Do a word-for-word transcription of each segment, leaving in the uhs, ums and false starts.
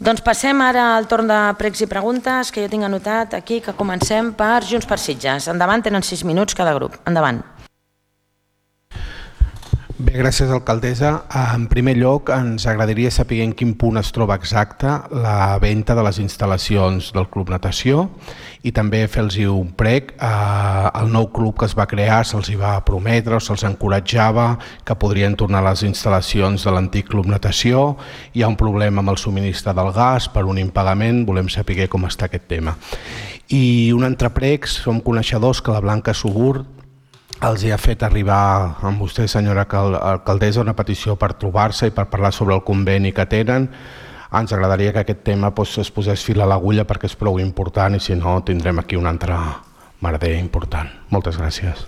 Doncs passem ara al torn de pregs i preguntes que jo tinc anotat aquí, que comencem per Junts per Sitges. Endavant, tenen sis minuts cada grup. Endavant. Bé, gràcies, alcaldessa. En primer lloc, ens agradaria saber en quin punt es troba exacte la venda de les instal·lacions del Club Natació i també fer-los un prec. El nou club que es va crear se'ls va prometre o se'ls encoratjava que podrien tornar a les instal·lacions de l'antic Club Natació. Hi ha un problema amb el subministre del gas per un impagament, volem saber com està aquest tema. I un altre prec, som coneixedors que la Blanca Subur els ha fet arribar amb vostè, senyora alcaldessa, una petició per trobar-se i per parlar sobre el conveni que tenen. Ens agradaria que aquest tema es posés fil a l'agulla perquè és prou important i si no tindrem aquí un altre merder important. Moltes gràcies.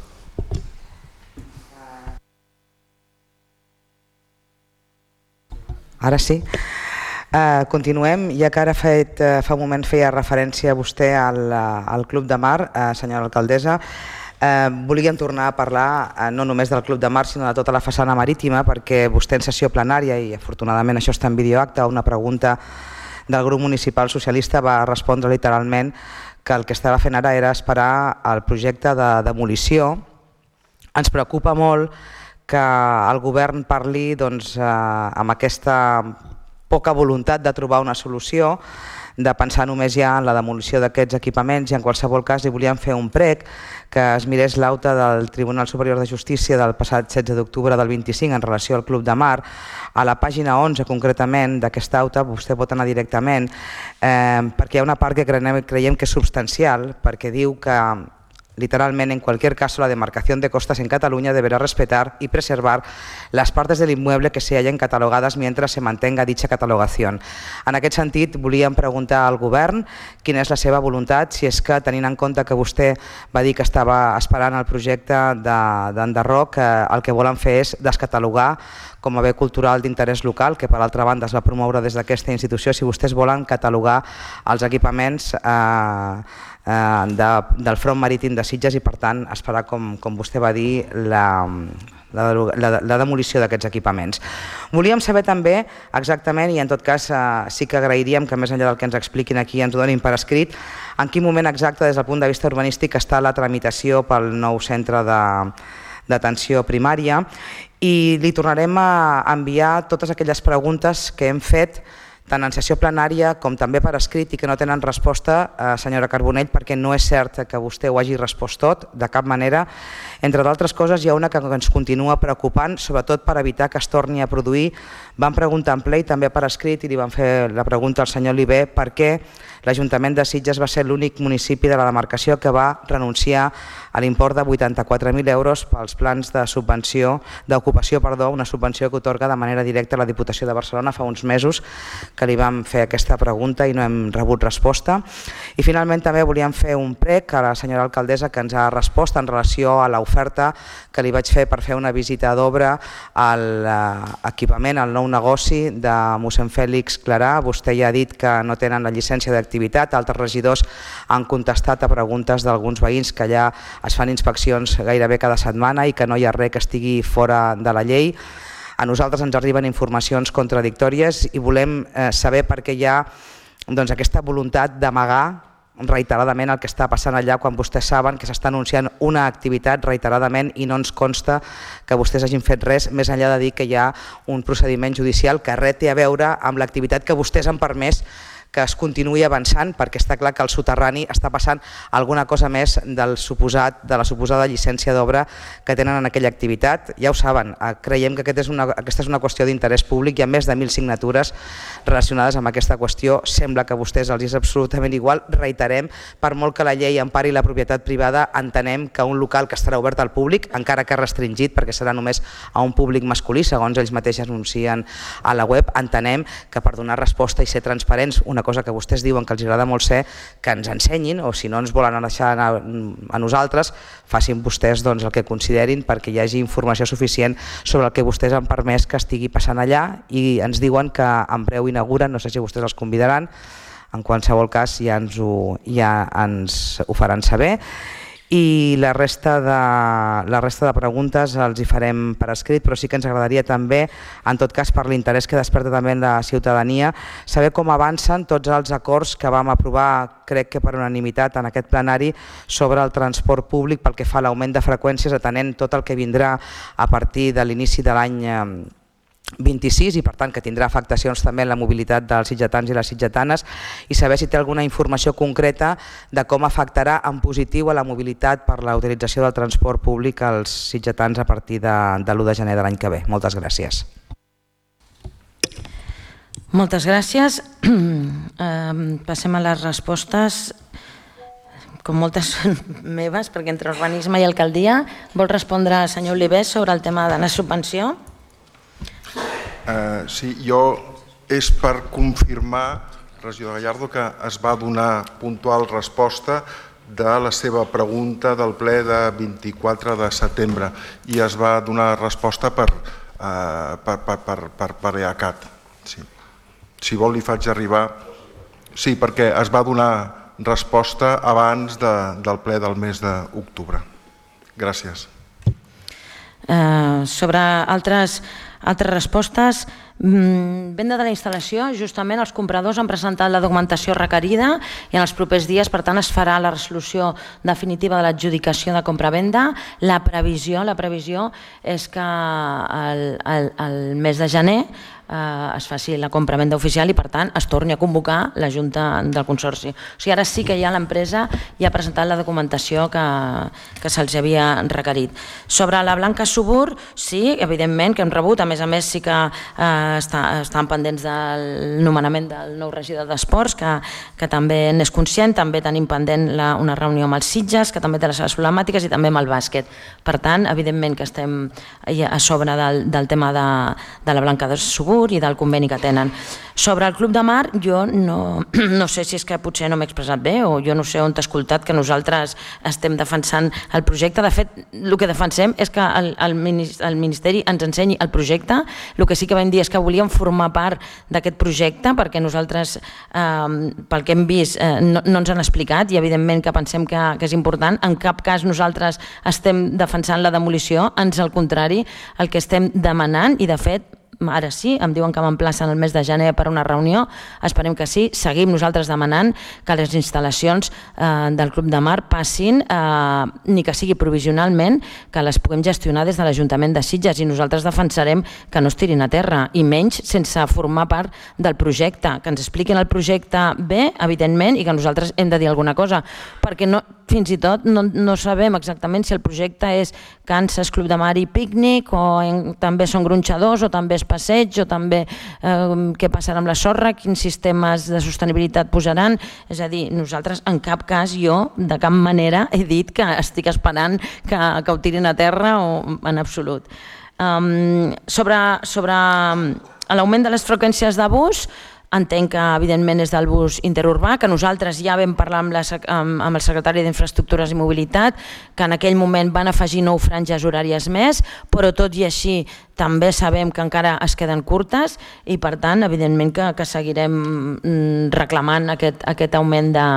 Ara sí. Uh, continuem, ja que ara fet, uh, fa un moment feia referència vostè al, uh, al Club de Mar, uh, senyora alcaldessa. Eh, volíem tornar a parlar eh, no només del Club de Mar sinó de tota la façana marítima, perquè vostè en sessió plenària, i afortunadament això està en videoacte, a una pregunta del grup municipal socialista va respondre literalment que el que estava fent ara era esperar el projecte de demolició. Ens preocupa molt que el govern parli doncs, eh, amb aquesta poca voluntat de trobar una solució, de pensar només ja en la demolició d'aquests equipaments, i en qualsevol cas li volíem fer un prec que es mirés l'auta del Tribunal Superior de Justícia del passat setze d'octubre del vint-i-cinc en relació al Club de Mar. A la pàgina onze concretament d'aquesta auta vostè pot anar directament eh, perquè hi ha una part que creiem, creiem que és substancial, perquè diu que literalmente, en cualquier caso, la demarcación de costas en Cataluña deberá respetar y preservar las partes del inmueble que se hallen catalogadas mientras se mantenga dicha catalogación. En aquest sentit, volíem preguntar al govern quina és la seva voluntat, si és que, tenint en compte que vostè va dir que estava esperant el projecte d'Enderroc, el que volen fer és descatalogar com a bé cultural d'interès local, que per altra banda es va promoure des d'aquesta institució, si vostès volen catalogar els equipaments eh, De, del front marítim de Sitges i per tant esperar, com, com vostè va dir, la, la, la, la demolició d'aquests equipaments. Volíem saber també exactament, i en tot cas eh, sí que agrairíem que més enllà del que ens expliquin aquí ens ho donin per escrit, en quin moment exacte des del punt de vista urbanístic està la tramitació pel nou centre d'atenció primària, i li tornarem a enviar totes aquelles preguntes que hem fet tant en sessió plenària com també per escrit i que no tenen resposta, eh, senyora Carbonell, perquè no és cert que vostè ho hagi respost tot, de cap manera. Entre d'altres coses, hi ha una que ens continua preocupant, sobretot per evitar que es torni a produir. Vam preguntar en ple i també per escrit, i li vam fer la pregunta al senyor Oliver, per què l'Ajuntament de Sitges va ser l'únic municipi de la demarcació que va renunciar a l'import de vuitanta-quatre mil euros pels plans de subvenció d'ocupació, perdó, una subvenció que otorga de manera directa a la Diputació de Barcelona fa uns mesos que li vam fer aquesta pregunta i no hem rebut resposta. I finalment també volíem fer un prec a la senyora alcaldessa que ens ha respost en relació a l'oferta que li vaig fer per fer una visita d'obra a l'equipament, al nou negoci de mossèn Fèlix Clarà. Vostè ja ha dit que no tenen la llicència d'activitat, altres regidors han contestat a preguntes d'alguns veïns que allà es fan inspeccions gairebé cada setmana i que no hi ha res que estigui fora de la llei. A nosaltres ens arriben informacions contradictòries i volem eh, saber per què hi ha doncs, aquesta voluntat d'amagar reiteradament el que està passant allà quan vostès saben que s'està anunciant una activitat reiteradament i no ens consta que vostès hagin fet res més enllà de dir que hi ha un procediment judicial que res té a veure amb l'activitat que vostès han permès que es continuï avançant, perquè està clar que al soterrani està passant alguna cosa més del suposat, de la suposada llicència d'obra que tenen en aquella activitat. Ja ho saben, creiem que aquest és una, aquesta és una qüestió d'interès públic, hi ha més de mil signatures relacionades amb aquesta qüestió, sembla que a vostès els és absolutament igual. Reiterem, per molt que la llei empari la propietat privada, entenem que un local que estarà obert al públic, encara que restringit perquè serà només a un públic masculí, segons ells mateixos anuncien a la web, entenem que per donar resposta i ser transparents, una cosa que vostès diuen que els agrada molt ser, que ens ensenyin, o si no ens volen deixar a, a nosaltres, facin vostès doncs, el que considerin perquè hi hagi informació suficient sobre el que vostès han permès que estigui passant allà, i ens diuen que en breu inauguren, no sé si vostès els convidaran, en qualsevol cas ja ens ho, ja ens ho faran saber. i la resta de, la resta de preguntes els hi farem per escrit, però sí que ens agradaria també, en tot cas per l'interès que desperta també la ciutadania, saber com avancen tots els acords que vam aprovar, crec que per unanimitat en aquest plenari, sobre el transport públic pel que fa a l'augment de freqüències, atenent tot el que vindrà a partir de l'inici de l'any vint-i-sis i per tant que tindrà afectacions també en la mobilitat dels sitgetans i les sitgetanes, i saber si té alguna informació concreta de com afectarà en positiu a la mobilitat per la utilització del transport públic als sitgetans a partir de, de l'u de gener de l'any que ve. Moltes gràcies. Moltes gràcies. Passem a les respostes, com moltes són meves, perquè entre urbanisme i alcaldia. Vol respondre el senyor Oliver sobre el tema de la subvenció? Uh, sí, jo és per confirmar, regidor Gallardo, que es va donar puntual resposta de la seva pregunta del ple de vint-i-quatre de setembre i es va donar resposta per, uh, per, per, per, per, per E A C A T. Sí. Si vol li faig arribar... Sí, perquè es va donar resposta abans de, del ple del mes d'octubre. Gràcies. Uh, sobre altres... Altres respostes, venda de la instal·lació, justament els compradors han presentat la documentació requerida i en els propers dies, per tant, es farà la resolució definitiva de l'adjudicació de compra-venda. La previsió, la previsió és que el, el, el mes de gener eh, es faci la compra-venda oficial i, per tant, es torni a convocar la Junta del Consorci. O sigui, ara sí que ja l'empresa ja ha presentat la documentació que, que se'ls havia requerit. Sobre la Blanca Subur, sí, evidentment que hem rebut, a més a més sí que eh, està, estan pendents del nomenament del nou regidor d'Esports, que, que també n'és conscient, també tenim pendent la, una reunió amb els Sitges, que també té les seves problemàtiques, i també amb el bàsquet. Per tant, evidentment que estem a sobre del, del tema de, de la Blanca Subur i del conveni que tenen. Sobre el Club de Mar, jo no, no sé si és que potser no m'he expressat bé o jo no sé on t'he escoltat que nosaltres estem defensant el projecte. De fet, el que defensem és que el, el Ministeri ens ensenyi el projecte. El que sí que vam dir és que volíem formar part d'aquest projecte perquè nosaltres, eh, pel que hem vist, eh, no, no ens han explicat i evidentment que pensem que, que és important. En cap cas nosaltres estem defensant la demolició, ans al contrari, el que estem demanant, i de fet ara sí, em diuen que m'emplacen el mes de gener per una reunió, esperem que sí, seguim nosaltres demanant que les instal·lacions eh, del Club de Mar passin, eh, ni que sigui provisionalment, que les puguem gestionar des de l'Ajuntament de Sitges, i nosaltres defensarem que no es tirin a terra, i menys sense formar part del projecte, que ens expliquin el projecte bé, evidentment, i que nosaltres hem de dir alguna cosa, perquè no, fins i tot no, no sabem exactament si el projecte és Kansas Club de Mar i pícnic, o en, també són gronxadors, o també és passeig, o també eh, què passarà amb la sorra, quins sistemes de sostenibilitat posaran. És a dir, nosaltres en cap cas, jo de cap manera he dit que estic esperant que, que ho tirin a terra, o en absolut. Um, sobre sobre l'augment de les freqüències de bus, entenc que evidentment és del bus interurbà, que nosaltres ja vam parlar amb, la, amb, amb el secretari d'Infraestructures i Mobilitat, que en aquell moment van afegir nou franges horàries més, però tot i així també sabem que encara es queden curtes i per tant evidentment que, que seguirem reclamant aquest, aquest augment de,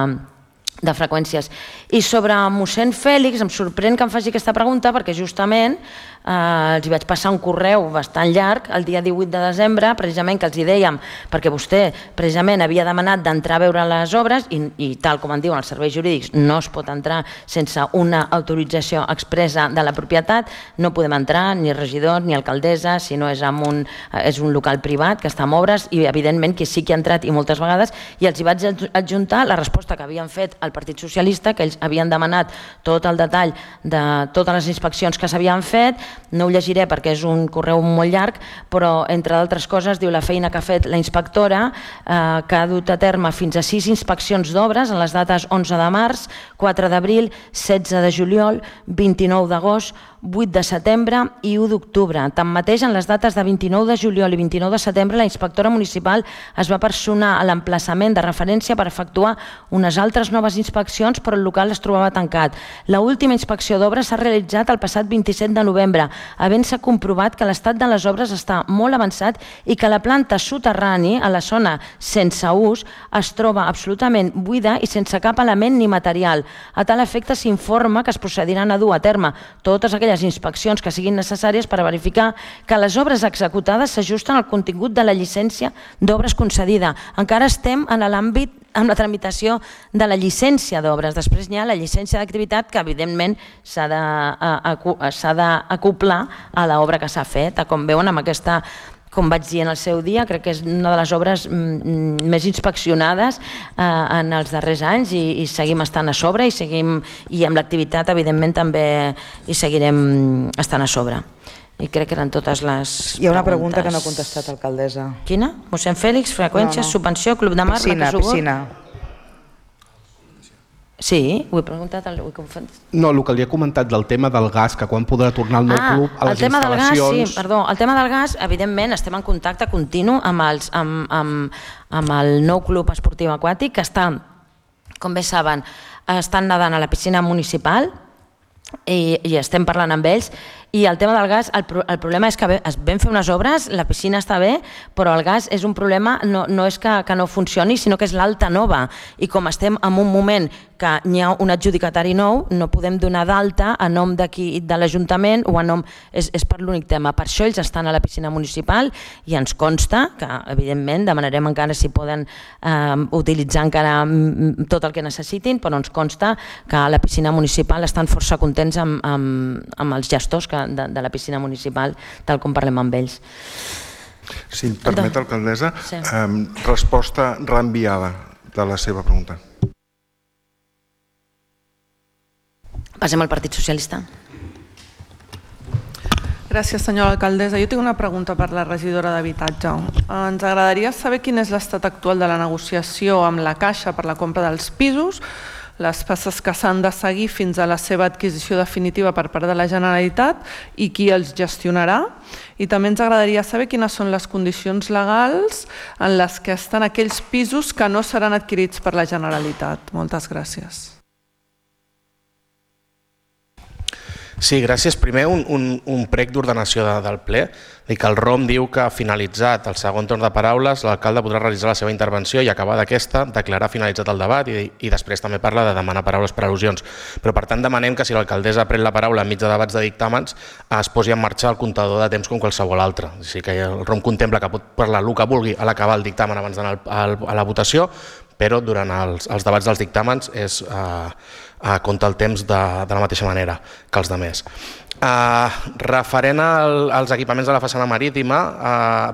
de freqüències. I sobre mossèn Fèlix, em sorprèn que em faci aquesta pregunta perquè justament eh, els hi vaig passar un correu bastant llarg el dia divuit de desembre, precisament que els hi dèiem, perquè vostè precisament havia demanat d'entrar a veure les obres i, i tal com en diuen els serveis jurídics, no es pot entrar sense una autorització expressa de la propietat, no podem entrar ni regidor ni alcaldessa si no és, amb un, és un local privat que està en obres, i evidentment que sí que ha entrat i moltes vegades, i els hi vaig adjuntar la resposta que havien fet al Partit Socialista, que ells havien demanat tot el detall de totes les inspeccions que s'havien fet. No ho llegiré perquè és un correu molt llarg, però entre d'altres coses diu la feina que ha fet la inspectora, eh, que ha dut a terme fins a sis inspeccions d'obres en les dates onze de març, quatre d'abril, setze de juliol, vint-i-nou d'agost, vuit de setembre i u d'octubre. Tanmateix, en les dates de vint-i-nou de juliol i vint-i-nou de setembre, la inspectora municipal es va personar a l'emplaçament de referència per efectuar unes altres noves inspeccions, però el local es trobava tancat. L'última inspecció d'obres s'ha realitzat el passat vint-i-set de novembre, havent-se comprovat que l'estat de les obres està molt avançat i que la planta soterrani, a la zona sense ús, es troba absolutament buida i sense cap element ni material. A tal efecte s'informa que es procediran a dur a terme totes aquelles inspeccions que siguin necessàries per verificar que les obres executades s'ajusten al contingut de la llicència d'obres concedida. Encara estem en l'àmbit amb la tramitació de la llicència d'obres. Després hi ha la llicència d'activitat que, evidentment, s'ha d'acoplar a l'obra que s'ha fet. Com veuen, amb aquesta, com vaig dir en el seu dia, crec que és una de les obres més inspeccionades en els darrers anys i seguim estant a sobre i amb l'activitat, evidentment, també hi seguirem estant a sobre. I crec que eren totes les preguntes. Hi ha una pregunta que no ha contestat, alcaldessa. Quina? Mossèn Fèlix, freqüències, subvenció, Club de Mar, Piscina, piscina. Sí, ho he preguntat. No, el que li he comentat del tema del gas, que quan podrà tornar el nou club a les instal·lacions... Sí, perdó. El tema del gas, evidentment, estem en contacte continu amb el nou club esportiu aquàtic, que està, com bé saben, estan nedant a la piscina municipal i estem parlant amb ells. I el tema del gas, el problema és que vam fer unes obres, la piscina està bé, però el gas és un problema, no és que no funcioni, sinó que és l'alta nova. I com estem en un moment que hi ha un adjudicatari nou, no podem donar d'alta a nom d'aquí de l'Ajuntament o a nom... És per l'únic tema. Per això ells estan a la piscina municipal i ens consta que, evidentment, demanarem encara si poden utilitzar encara tot el que necessitin, però ens consta que a la piscina municipal estan força contents amb els gestors que de la piscina municipal, tal com parlem amb ells. Si em permet, alcaldessa, resposta reenviada de la seva pregunta. Passem al Partit Socialista. Gràcies, senyora alcaldessa. Jo tinc una pregunta per la regidora d'Habitatge. Ens agradaria saber quin és l'estat actual de la negociació amb la Caixa per la compra dels pisos, les passes que s'han de seguir fins a la seva adquisició definitiva per part de la Generalitat i qui els gestionarà. I també ens agradaria saber quines són les condicions legals en les que estan aquells pisos que no seran adquirits per la Generalitat. Moltes gràcies. Sí, gràcies. Primer, un prec d'ordenació del ple. Que el R O M diu que finalitzat el segon torn de paraules, l'alcalde podrà realitzar la seva intervenció i acabar d'aquesta, declarar finalitzat el debat i després també parla de demanar paraules per al·lusions. Però per tant demanem que si l'alcaldessa pren la paraula enmig de debats de dictàmens es posi en marxa el comptador de temps com qualsevol altre. O sigui que el R O M contempla que pot parlar el que vulgui a l'acabar el dictamen abans d'anar a la votació, però durant els debats dels dictàmens compta el temps de la mateixa manera que els altres. Referent als equipaments de la façana marítima,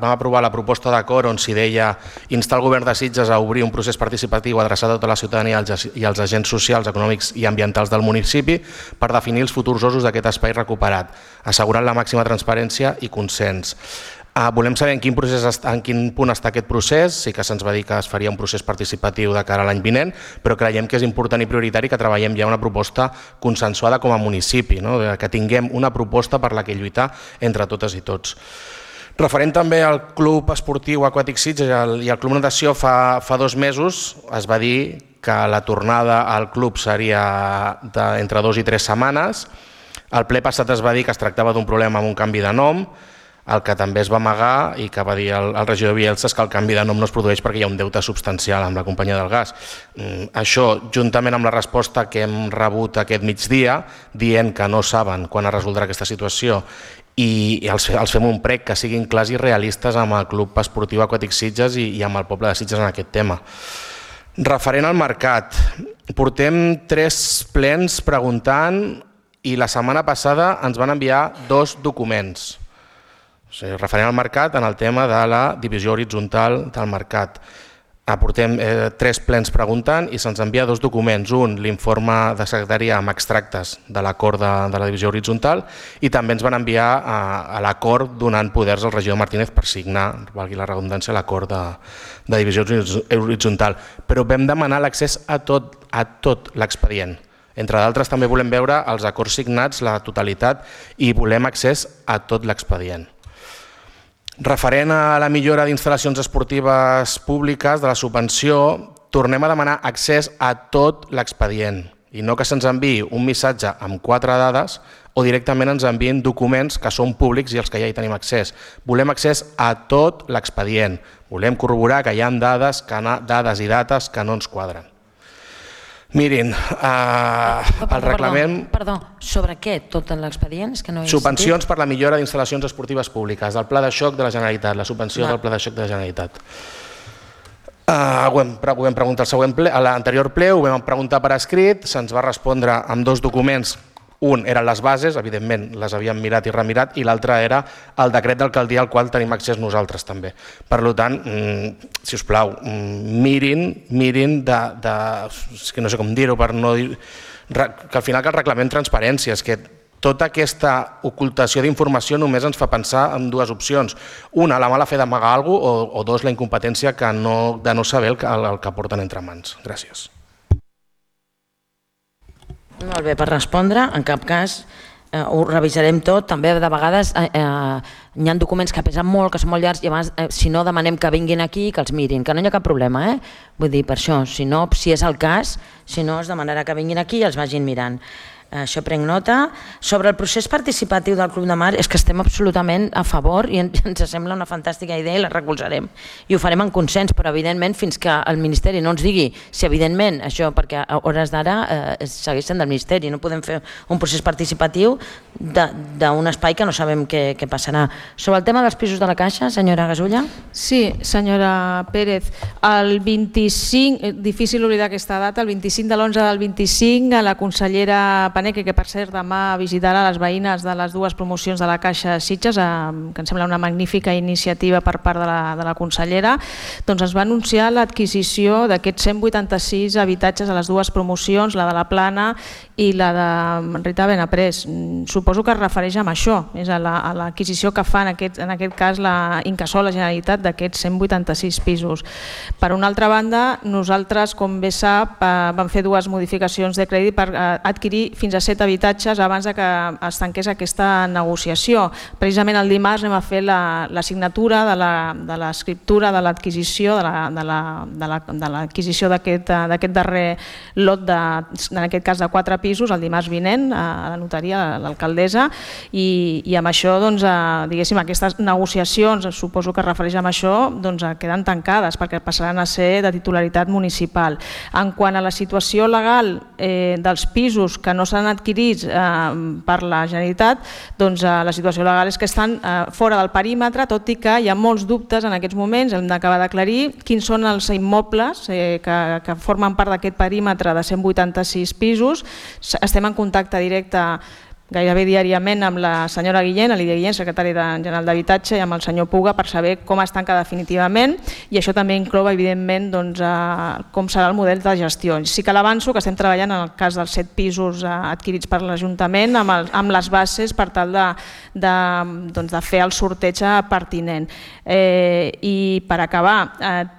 vam aprovar la proposta d'acord on s'hi deia instar el govern de Sitges a obrir un procés participatiu adreçat a tota la ciutadania i als agents socials, econòmics i ambientals del municipi per definir els futurs usos d'aquest espai recuperat, assegurant la màxima transparència i consens. Volem saber en quin punt està aquest procés. Sí que se'ns va dir que es faria un procés participatiu de cara a l'any vinent, però creiem que és important i prioritari que treballem ja una proposta consensuada com a municipi, que tinguem una proposta per la que lluitar entre totes i tots. Referent també al Club Esportiu Aquàtic Sitges i al Club Natació, fa dos mesos es va dir que la tornada al club seria entre dues i tres setmanes. Al ple passat es va dir que es tractava d'un problema amb un canvi de nom. El que també es va amagar i que va dir el regidor Bielsa és que el canvi de nom no es produeix perquè hi ha un deute substancial amb la companyia del gas. Això, juntament amb la resposta que hem rebut aquest migdia, dient que no saben quan es resoldrà aquesta situació i els fem un prec que siguin clars i realistes amb el Club Esportiu Aquàtic Sitges i amb el poble de Sitges en aquest tema. Referent al mercat, portem tres plens preguntant i la setmana passada ens van enviar dos documents. Referent al mercat, en el tema de la divisió horitzontal del mercat. Portem tres plens preguntant i se'ns envia dos documents. Un, l'informe de secretaria amb extractes de l'acord de la divisió horitzontal i també ens van enviar a l'acord donant poders al regidor Martínez per signar, valgui la redundància, l'acord de divisió horitzontal. Però vam demanar l'accés a tot l'expedient. Entre d'altres també volem veure els acords signats, la totalitat, i volem accés a tot l'expedient. Referent a la millora d'instal·lacions esportives públiques de la subvenció, tornem a demanar accés a tot l'expedient i no que se'ns enviï un missatge amb quatre dades o directament ens enviïn documents que són públics i els que ja hi tenim accés. Volem accés a tot l'expedient. Volem corroborar que hi ha dades, dades i dates que no ens quadren. Mirin, el reglament... Perdó, sobre què tot l'expedient? Subvencions per la millora d'instal·lacions esportives públiques, del Pla de Xoc de la Generalitat, la subvenció del Pla de Xoc de la Generalitat. Ho vam preguntar al següent ple, a l'anterior ple, ho vam preguntar per escrit, se'ns va respondre amb dos documents. Un eren les bases, evidentment les havíem mirat i remirat, i l'altre era el decret d'alcaldia al qual tenim accés nosaltres també. Per tant, si us plau, mirin, mirin de... és que no sé com dir-ho, per no dir... que al final que el reglament transparència, és que tota aquesta ocultació d'informació només ens fa pensar en dues opcions. Una, la mala fe d'amagar alguna cosa, o dos, la incompetència de no saber el que porten entre mans. Gràcies. Molt bé, per respondre, en cap cas ho revisarem tot, també de vegades hi ha documents que pesen molt, que són molt llargs, i abans, si no, demanem que vinguin aquí i que els mirin, que no hi ha cap problema, eh? Vull dir, per això, si no, si és el cas, si no, es demanarà que vinguin aquí i els vagin mirant. Això prenc nota. Sobre el procés participatiu del Club de Mar, és que estem absolutament a favor i ens sembla una fantàstica idea i la recolzarem. I ho farem en consens, però evidentment fins que el Ministeri no ens digui si evidentment això, perquè a hores d'ara segueixen del Ministeri, no podem fer un procés participatiu d'un espai que no sabem què passarà. Sobre el tema dels pisos de la Caixa, senyora Gasulla? Sí, senyora Pérez, el vint-i-cinc, difícil oblidar aquesta data, el vint-i-cinc de l'onze del vint-i-cinc, la consellera Paneque, que per cert demà visitarà les veïnes de les dues promocions de la Caixa Sitges, que em sembla una magnífica iniciativa per part de la, de la consellera, doncs es va anunciar l'adquisició d'aquests cent vuitanta-sis habitatges a les dues promocions, la de la Plana i la de Rita Benaprés. Suposo que es refereix a això, és a l'adquisició que fa en aquest, en aquest cas la Incasòl, la Generalitat, d'aquests cent vuitanta-sis pisos. Per una altra banda, nosaltres, com bé sap, vam fer dues modificacions de crèdit per adquirir fins a set habitatges abans que es tanqués aquesta negociació. Precisament el dimarts anem a fer la signatura de l'escriptura de l'adquisició de l'adquisició d'aquest darrer lot, en aquest cas de quatre pisos, el dimarts vinent a la notaria, a l'alcaldessa, i amb això, diguéssim, aquestes negociacions, suposo que es refereix a això, queden tancades perquè passaran a ser de titularitat municipal. En quant a la situació legal dels pisos que no s'han adquirits per la Generalitat, doncs la situació legal és que estan fora del perímetre, tot i que hi ha molts dubtes en aquests moments, hem d'acabar d'aclarir quins són els immobles que formen part d'aquest perímetre de cent vuitanta-sis pisos. Estem en contacte directe gairebé diàriament amb la senyora Guillén, la Lídia Guillén, secretària general d'Habitatge, i amb el senyor Puga per saber com es tanca definitivament, i això també inclou, evidentment, com serà el model de gestió. Sí que l'avanço que estem treballant en el cas dels set pisos adquirits per l'Ajuntament amb les bases per tal de fer el sorteig pertinent. I per acabar,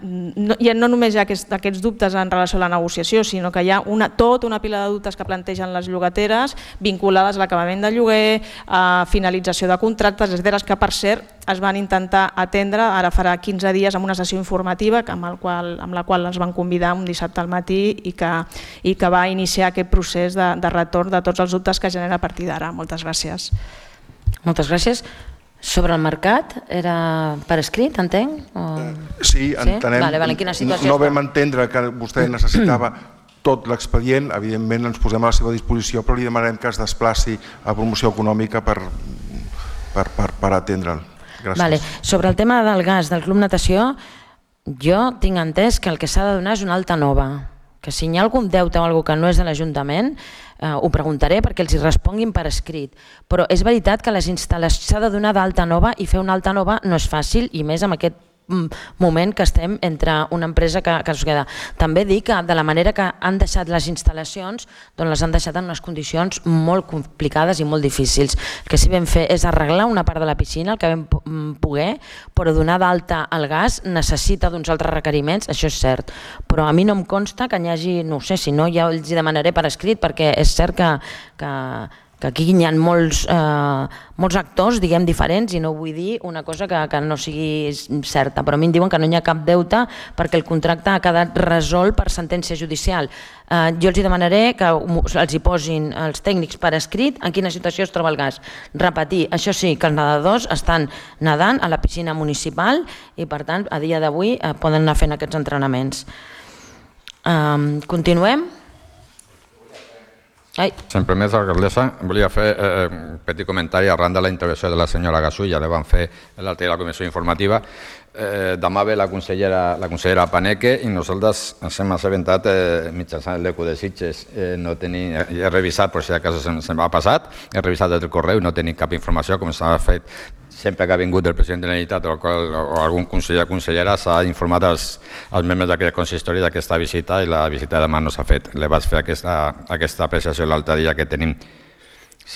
no només hi ha aquests dubtes en relació a la negociació, sinó que hi ha tota una pila de dubtes que plantegen les llogateres vinculades a l'acabament de lloguer, a finalització de contractes, etcètera, que per cert es van intentar atendre ara farà quinze dies amb una sessió informativa amb la qual els van convidar un dissabte al matí i que va iniciar aquest procés de retorn de tots els dubtes que genera a partir d'ara. Moltes gràcies. Moltes gràcies. Sobre el mercat, era per escrit, entenc? Sí, entenem. No vam entendre que vostè necessitava tot l'expedient, evidentment ens posem a la seva disposició, però li demanarem que es desplaci a promoció econòmica per atendre'l. Gràcies. Sobre el tema del gas del Club Natació, jo tinc entès que el que s'ha de donar és una alta nova, que si hi ha algun deute o alguna cosa que no és de l'Ajuntament, ho preguntaré perquè els hi responguin per escrit, però és veritat que les instal·lacions s'ha de donar d'alta nova i fer una alta nova no és fàcil, i més amb aquest moment que estem entre una empresa que, que es queda. També dic que de la manera que han deixat les instal·lacions, doncs les han deixat en unes condicions molt complicades i molt difícils. El que sí vam fer és arreglar una part de la piscina, el que vam poder, però donar d'alta al gas necessita d'uns altres requeriments, això és cert. Però a mi no em consta que n'hi hagi, no sé, si no ja els hi demanaré per escrit, perquè és cert que, que que aquí hi ha molts, eh, molts actors, diguem, diferents, i no vull dir una cosa que, que no sigui certa, però a mi em diuen que no hi ha cap deute perquè el contracte ha quedat resolt per sentència judicial. Eh, jo els hi demanaré que els hi posin els tècnics per escrit en quina situació es troba el gas. Repetir, això sí, que els nedadors estan nedant a la piscina municipal i per tant a dia d'avui eh, poden anar fent aquests entrenaments. Eh, continuem? Ai. Sempre més, alcaldessa, volia fer eh, un petit comentari arran de la intervenció de la senyora Gasull, ja la van fer l'altre de la comissió informativa. Eh, demà ve la consellera, la consellera Paneque i nosaltres ens hem assabentat eh, mitjançant el l'Eco de Sitges. Eh, no tenim, he revisat, per si acaso se'm se m'ha passat, he revisat el correu i no tenim cap informació, com s'ha fet sempre que ha vingut el president de la Generalitat o, qual, o algun conseller o consellera s'ha informat als, als membres d'aquest consistori d'aquesta visita i la visita de demà no s'ha fet. Le vaig fer aquesta, aquesta apreciació l'altre dia que tenim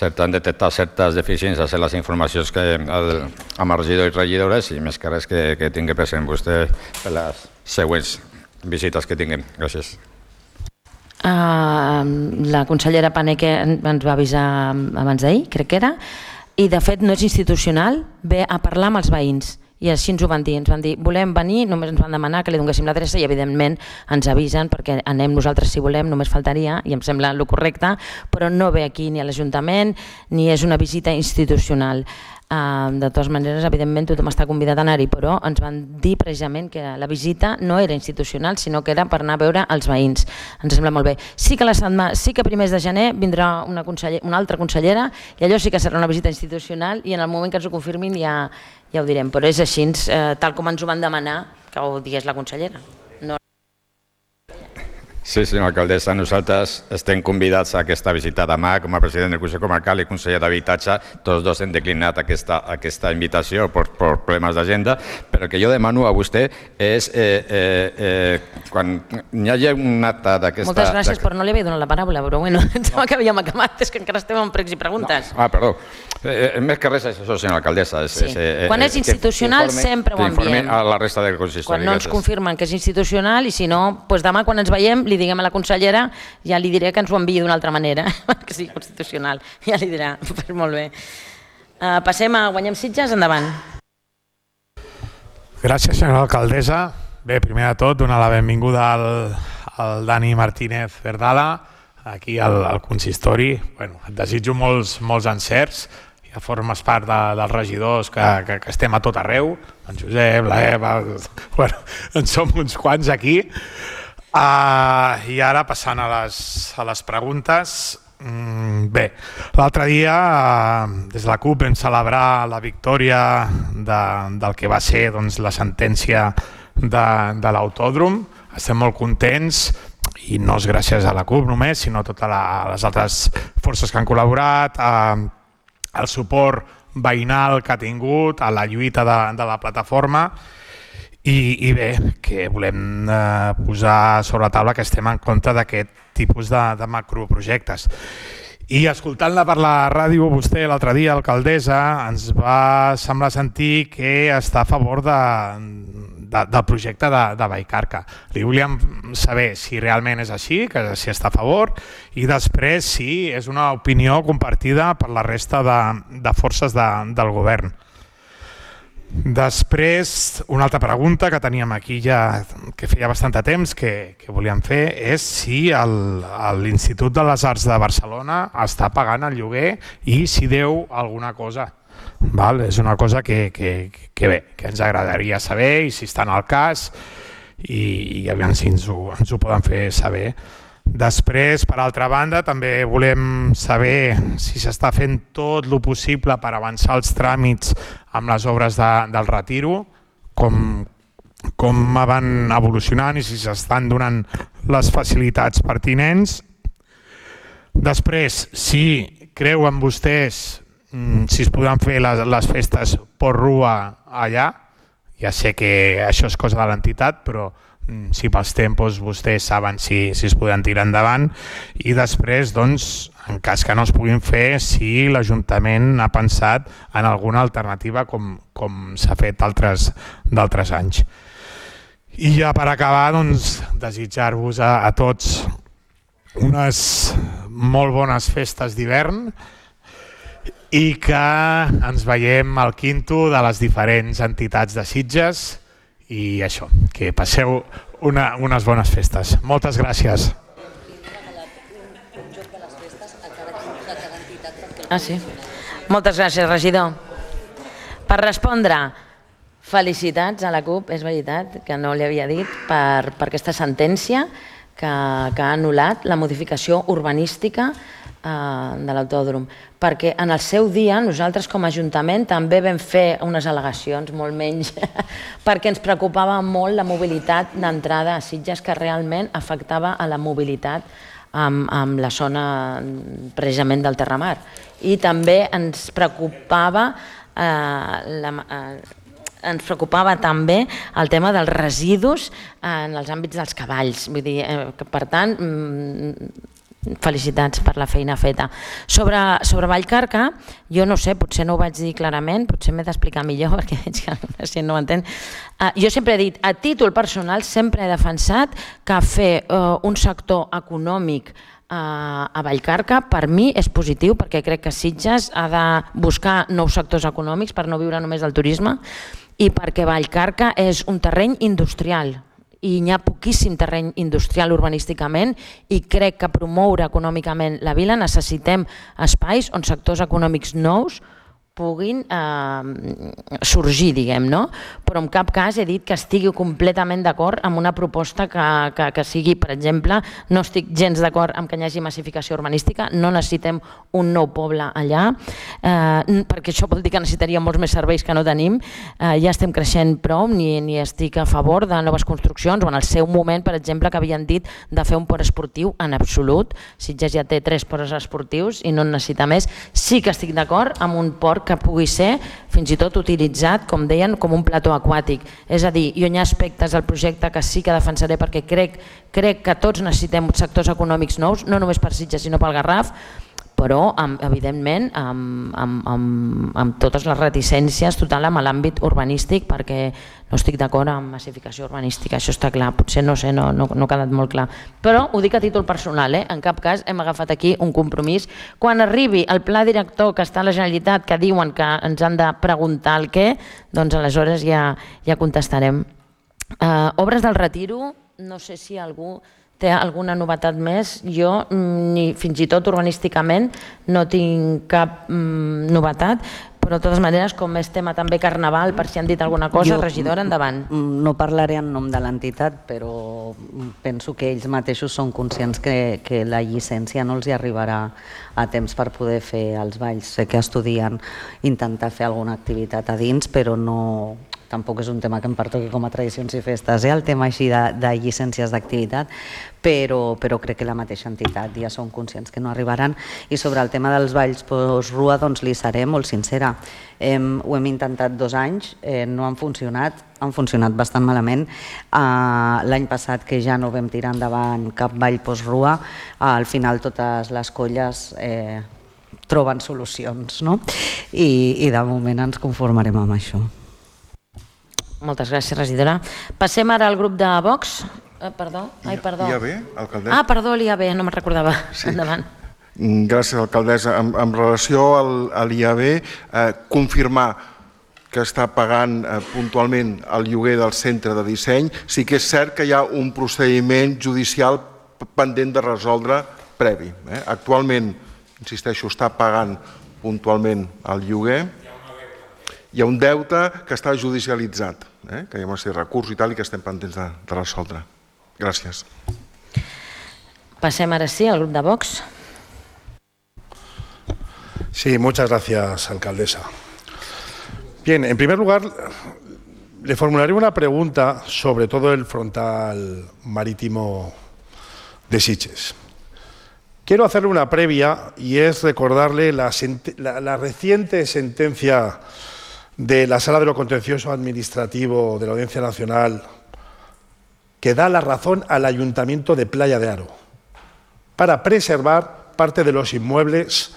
han detectat certes deficiències en les informacions que el, amb els regidors i regidores i més que res que, que tingui present vostè per les següents visites que tinguem. Gràcies. Uh, la consellera Paneque ens va avisar abans d'ahir, crec que era, i de fet no és institucional, ve a parlar amb els veïns i així ens ho van dir, ens van dir volem venir, només ens van demanar que li donéssim l'adreça i evidentment ens avisen perquè anem nosaltres si volem, només faltaria i em sembla el correcte, però no ve aquí ni a l'Ajuntament ni és una visita institucional. Uh, de totes maneres, evidentment tothom està convidat a anar-hi, però ens van dir precisament que la visita no era institucional sinó que era per anar a veure els veïns. Ens sembla molt bé. Sí que, la setmana, sí que a primers de gener vindrà una, conseller, una altra consellera i allò sí que serà una visita institucional i en el moment que ens ho confirmin ja, ja ho direm, però és així, eh, tal com ens ho van demanar que ho digués la consellera. No. Sí, senyora alcaldessa, nosaltres estem convidats a aquesta visita demà com a president del Consell Comarcal i conseller d'Habitatge. Tots dos hem declinat aquesta, aquesta invitació per, per problemes d'agenda, però el que jo demano a vostè és eh, eh, eh, quan hi hagi un acte d'aquesta... Moltes gràcies, però no li havia donat la paraula, però bueno, em sembla que havíem acabat, és que encara estem en pregs i preguntes. No. Ah, perdó. Eh, més que res és això, senyora alcaldessa. És, sí. és, eh, quan és institucional informe, sempre ho enviem. A la resta del consistori. Quan no ens confirmen que és institucional i si no, doncs demà quan ens veiem li diguem a la consellera, ja li diré que ens ho enviï d'una altra manera, que sigui constitucional, ja li dirà, pues molt bé. Uh, passem a Guanyem Sitges, endavant. Gràcies, senyora alcaldessa. Bé, primer de tot, donar la benvinguda al, al Dani Martínez Verdala, aquí al, al consistori. Bueno, et desitjo molts, molts encerts, ja formes part de, dels regidors que, que, que estem a tot arreu, en Josep, la Eva, bueno, en som uns quants aquí. Uh, I ara passant a les, a les preguntes, mm, bé, l'altre dia uh, des de la CUP vam celebrar la victòria de, del que va ser doncs, la sentència de, de l'autòdrom. Estem molt contents i no és gràcies a la CUP només, sinó a totes la, les altres forces que han col·laborat, uh, el suport veïnal que ha tingut, a la lluita de, de la plataforma. I, i bé, que volem eh, posar sobre la taula que estem en contra d'aquest tipus de, de macroprojectes. I escoltant-la per la ràdio, vostè l'altre dia, alcaldessa, ens va semblar sentir que està a favor de, de, del projecte de, de Vallcarca. Li volíem saber si realment és així, que si està a favor, i després si és una opinió compartida per la resta de, de forces de, del govern. Després, una altra pregunta que teníem aquí ja, que feia bastant de temps que, que volíem fer, és si l'Institut de les Arts de Barcelona està pagant el lloguer i si deu alguna cosa. Val? És una cosa que, que, que bé, que ens agradaria saber i si està en el cas i, i aviam si ens ho, ens ho poden fer saber. Després, per altra banda, també volem saber si s'està fent tot el possible per avançar els tràmits amb les obres de, del retiro, com, com van evolucionant i si s'estan donant les facilitats pertinents. Després, si creuen vostès si es podran fer les, les festes por rua allà, Ja sé que això és cosa de l'entitat, però si pels tempos vostès saben si, si es poden tirar endavant, i després, doncs, en cas que no es puguin fer, si l'Ajuntament ha pensat en alguna alternativa com, com s'ha fet d'altres anys. I ja per acabar, doncs, desitjar-vos a, a tots unes molt bones festes d'hivern i que ens veiem al quinto de les diferents entitats de Sitges. I això, que passeu una, unes bones festes. Moltes gràcies. Ah, sí? Moltes gràcies, regidor. Per respondre, felicitats a la CUP, és veritat que no li havia dit, per, per aquesta sentència que, que ha anul·lat la modificació urbanística de l'autòdrom, perquè en el seu dia nosaltres com a Ajuntament també vam fer unes al·legacions, molt menys, perquè ens preocupava molt la mobilitat d'entrada a Sitges, que realment afectava a la mobilitat amb, amb la zona precisament del Terramar. I també ens preocupava eh, la, eh, ens preocupava també el tema dels residus en els àmbits dels cavalls. Vull dir, eh, que, per tant, felicitats per la feina feta. Sobre, sobre Vallcarca, jo no sé, potser no ho vaig dir clarament, potser m'he d'explicar millor perquè veig que la gent no ho entén. Uh, jo sempre he dit, a títol personal, sempre he defensat que fer uh, un sector econòmic uh, a Vallcarca per mi és positiu, perquè crec que Sitges ha de buscar nous sectors econòmics per no viure només del turisme i perquè Vallcarca és un terreny industrial i hi ha poquíssim terreny industrial urbanísticament i crec que promoure econòmicament la vila necessitem espais on sectors econòmics nous puguin eh, sorgir, diguem, no? Però en cap cas he dit que estigui completament d'acord amb una proposta que, que, que sigui, per exemple, no estic gens d'acord amb que hi hagi massificació urbanística, no necessitem un nou poble allà, eh, perquè això vol dir que necessitaria molts més serveis que no tenim, eh, ja estem creixent prou, ni, ni estic a favor de noves construccions, o en el seu moment, per exemple, que havien dit de fer un port esportiu, en absolut, Sitges ja té tres ports esportius i no en necessita més, sí que estic d'acord amb un port que pugui ser fins i tot utilitzat, com deien, com un plató aquàtic. És a dir, jo hi ha aspectes del projecte que sí que defensaré perquè crec, crec que tots necessitem sectors econòmics nous, no només per Sitges sinó pel Garraf, però amb, evidentment amb, amb, amb, amb totes les reticències total amb l'àmbit urbanístic, perquè no estic d'acord amb massificació urbanística, això està clar, potser no sé, no, no, no ha quedat molt clar, però ho dic a títol personal, eh? En cap cas hem agafat aquí un compromís. Quan arribi el pla director que està a la Generalitat, que diuen que ens han de preguntar el què, doncs aleshores ja, ja contestarem. Uh, obres del Retiro, no sé si algú té alguna novetat més. Jo, ni fins i tot urbanísticament, no tinc cap mm, novetat, però de totes maneres, com és tema també carnaval, per si han dit alguna cosa, jo, regidora, endavant. No parlaré en nom de l'entitat, però penso que ells mateixos són conscients que, que la llicència no els hi arribarà a temps per poder fer els balls. Sé que estudien intentar fer alguna activitat a dins, però no... Tampoc és un tema que em pertoqui com a tradicions i festes, eh? El tema així de, de llicències d'activitat, però, però crec que la mateixa entitat ja són conscients que no arribaran. I sobre el tema dels balls post-rua, doncs li seré molt sincera. Hem, ho hem intentat dos anys, eh, no han funcionat, han funcionat bastant malament. Uh, L'any passat, que ja no vam tirar endavant cap ball post-rua, uh, al final totes les colles eh, troben solucions, no? I, i de moment ens conformarem amb això. Moltes gràcies, regidora. Passem ara al grup de Vox. Eh, perdó. Ai, perdó. I A B, alcaldessa? Ah, perdó, l'I A B, no me'n recordava. Sí. Endavant. Gràcies, alcaldessa. En, en relació al, a l'I A B, eh, confirmar que està pagant eh, puntualment el lloguer del centre de disseny. Sí que és cert que hi ha un procediment judicial pendent de resoldre previ. Eh? Actualment, insisteixo, està pagant puntualment el lloguer. Hi ha un deute que està judicialitzat, eh? que hi ha una sèrie de recursos i tal i que estem pendents de, de resoldre. Gràcies. Passem ara sí al grup de Vox. Sí, muchas gracias, alcaldesa. Bien, en primer lugar, le formularé una pregunta sobre todo el frontal marítimo de Sitges. Quiero hacerle una previa y es recordarle la, la, la reciente sentencia de la Sala de lo Contencioso Administrativo de la Audiencia Nacional que da la razón al Ayuntamiento de Playa de Aro para preservar parte de los inmuebles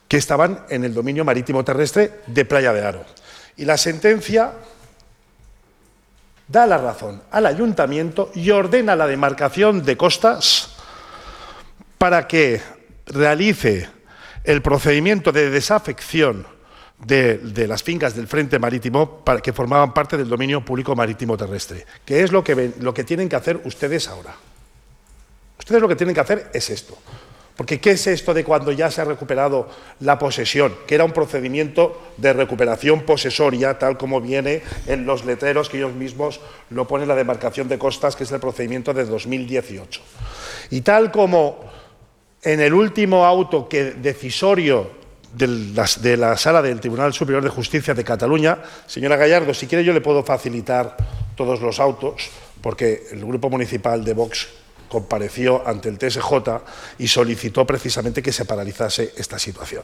que estaban en el dominio marítimo terrestre de Playa de Aro. Y la sentencia da la razón al Ayuntamiento y ordena la demarcación de costas para que realice el procedimiento de desafección de, de las fincas del Frente Marítimo para que formaban parte del dominio público marítimo terrestre, que es lo que, ven, lo que tienen que hacer ustedes ahora. Ustedes lo que tienen que hacer es esto. Porque ¿qué es esto de cuando ya se ha recuperado la posesión? Que era un procedimiento de recuperación posesoria, tal como viene en los letreros que ellos mismos lo ponen la demarcación de costas, que es el procedimiento de dos mil dieciocho. Y tal como en el último auto que decisorio de la, de la Sala del Tribunal Superior de Justicia de Cataluña, señora Gallardo, si quiere yo le puedo facilitar todos los autos, porque el Grupo Municipal de Vox compareció ante el T S J y solicitó precisamente que se paralizase esta situación.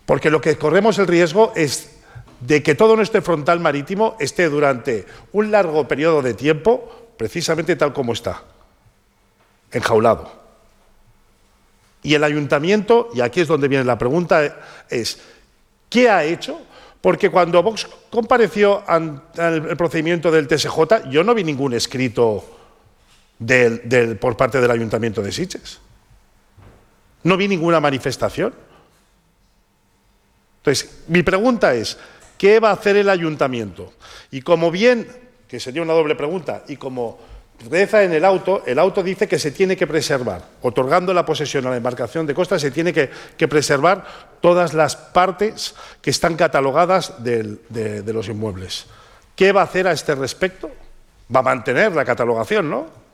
Porque lo que corremos el riesgo es de que todo nuestro frontal marítimo esté durante un largo periodo de tiempo, precisamente tal como está, enjaulado. Y el Ayuntamiento, y aquí es donde viene la pregunta, es ¿qué ha hecho? Porque cuando Vox compareció ante el procedimiento del T S J, yo no vi ningún escrito Del, del, por parte del Ayuntamiento de Sitges. No vi ninguna manifestación. Entonces, mi pregunta es, ¿qué va a hacer el Ayuntamiento? Y como bien, que sería una doble pregunta, y como reza en el auto, el auto dice que se tiene que preservar, otorgando la posesión a la demarcación de costas, se tiene que, que preservar todas las partes que están catalogadas del, de, de los inmuebles. ¿Qué va a hacer a este respecto? Va a mantener la catalogación, ¿no?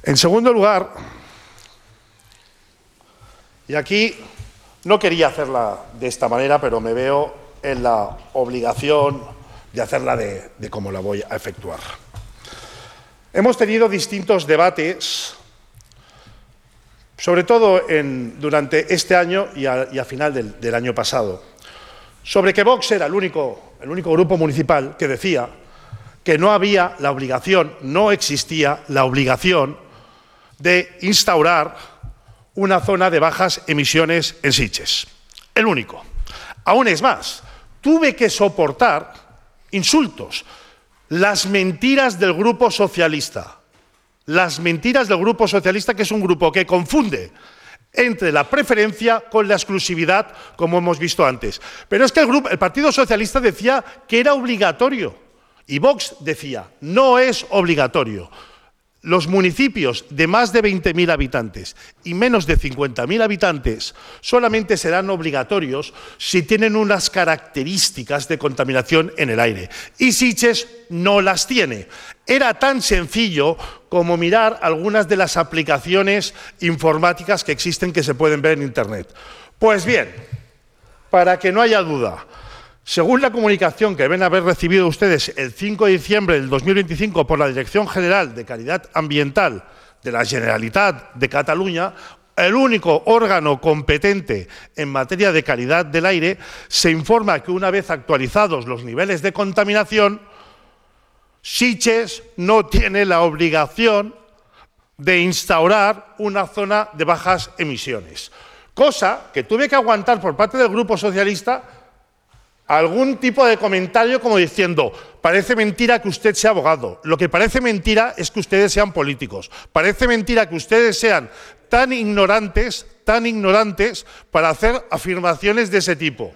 En segundo lugar, y aquí no quería hacerla de esta manera, pero me veo en la obligación de hacerla de, de cómo la voy a efectuar. Hemos tenido distintos debates, sobre todo en, durante este año y a, y a final del, del año pasado, sobre que Vox era el único, el único grupo municipal que decía que no había la obligación, no existía la obligación de instaurar una zona de bajas emisiones en Sitges. El único. Aún es más, tuve que soportar insultos, las mentiras del Grupo Socialista. Las mentiras del Grupo Socialista, que es un grupo que confunde entre la preferencia con la exclusividad, como hemos visto antes. Pero es que el, grupo, el Partido Socialista decía que era obligatorio y Vox decía, no es obligatorio. Los municipios de más de veinte mil habitantes y menos de cincuenta mil habitantes solamente serán obligatorios si tienen unas características de contaminación en el aire. Y Sitges no las tiene. Era tan sencillo como mirar algunas de las aplicaciones informáticas que existen que se pueden ver en Internet. Pues bien, para que no haya duda, según la comunicación que deben haber recibido ustedes el cinco de diciembre del dos mil veinticinco por la Dirección General de Calidad Ambiental de la Generalitat de Cataluña, el único órgano competente en materia de calidad del aire, se informa que una vez actualizados los niveles de contaminación, Sitges no tiene la obligación de instaurar una zona de bajas emisiones. Cosa que tuve que aguantar por parte del Grupo Socialista algún tipo de comentario como diciendo, parece mentira que usted sea abogado, lo que parece mentira es que ustedes sean políticos, parece mentira que ustedes sean tan ignorantes, tan ignorantes para hacer afirmaciones de ese tipo.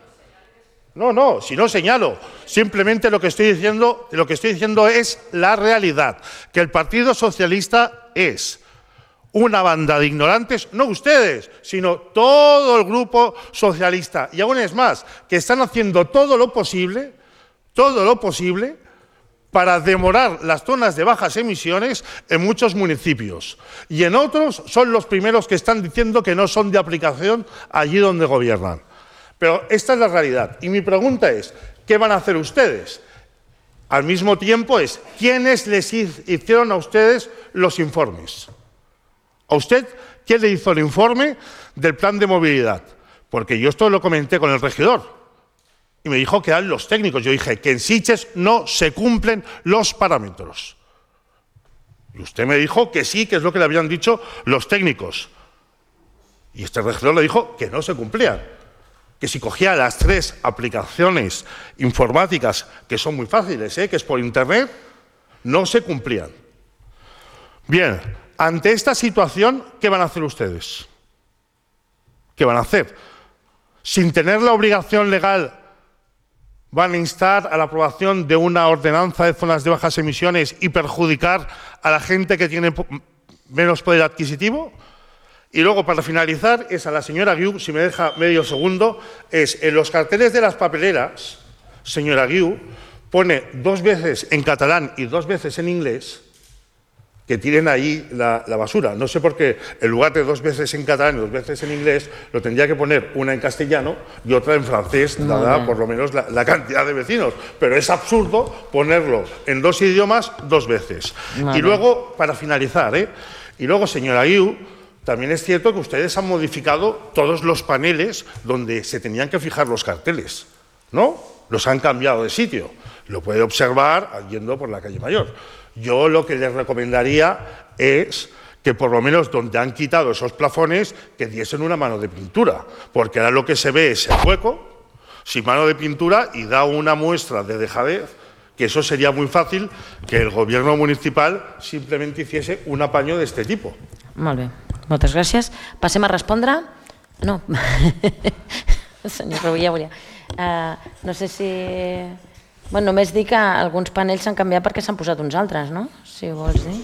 No, no, si no señalo, simplemente lo que estoy diciendo, lo que estoy diciendo es la realidad, que el Partido Socialista es una banda de ignorantes, no ustedes, sino todo el Grupo Socialista. Y aún es más, que están haciendo todo lo posible, todo lo posible, para demorar las zonas de bajas emisiones en muchos municipios. Y en otros son los primeros que están diciendo que no son de aplicación allí donde gobiernan. Pero esta es la realidad. Y mi pregunta es, ¿qué van a hacer ustedes? Al mismo tiempo es, ¿quiénes les hicieron a ustedes los informes? ¿A usted quién le hizo el informe del plan de movilidad? Porque yo esto lo comenté con el regidor. Y me dijo que eran los técnicos. Yo dije que en Sitges no se cumplen los parámetros. Y usted me dijo que sí, que es lo que le habían dicho los técnicos. Y este regidor le dijo que no se cumplían. Que si cogía las tres aplicaciones informáticas, que son muy fáciles, ¿eh? que es por internet, no se cumplían. Bien, ante esta situación, ¿qué van a hacer ustedes? ¿Qué van a hacer? Sin tener la obligación legal, van a instar a la aprobación de una ordenanza de zonas de bajas emisiones y perjudicar a la gente que tiene menos poder adquisitivo. Y luego, para finalizar, es a la señora Guiu, si me deja medio segundo, es en los carteles de las papeleras, señora Guiu, pone dos veces en catalán y dos veces en inglés que tiren ahí la, la basura. No sé por qué, en lugar de dos veces en catalán y dos veces en inglés, lo tendría que poner una en castellano y otra en francés, dada por lo menos la, la cantidad de vecinos. Pero es absurdo ponerlo en dos idiomas dos veces. Vale. Y luego, para finalizar, ¿eh? y luego, señora Guiu, también es cierto que ustedes han modificado todos los paneles donde se tenían que fijar los carteles, ¿no? Los han cambiado de sitio. Lo puede observar yendo por la calle Mayor. Yo lo que les recomendaría es que por lo menos donde han quitado esos plafones, que diesen una mano de pintura, porque ahora lo que se ve es el hueco, sin mano de pintura, y da una muestra de dejadez, que eso sería muy fácil que el gobierno municipal simplemente hiciese un apaño de este tipo. Molt bé, moltes gràcies. Passem a respondre? No. Senyor Rovira, volia... Uh, no sé si... Bueno, només dir que alguns panells s'han canviat perquè s'han posat uns altres, no? Si ho vols dir.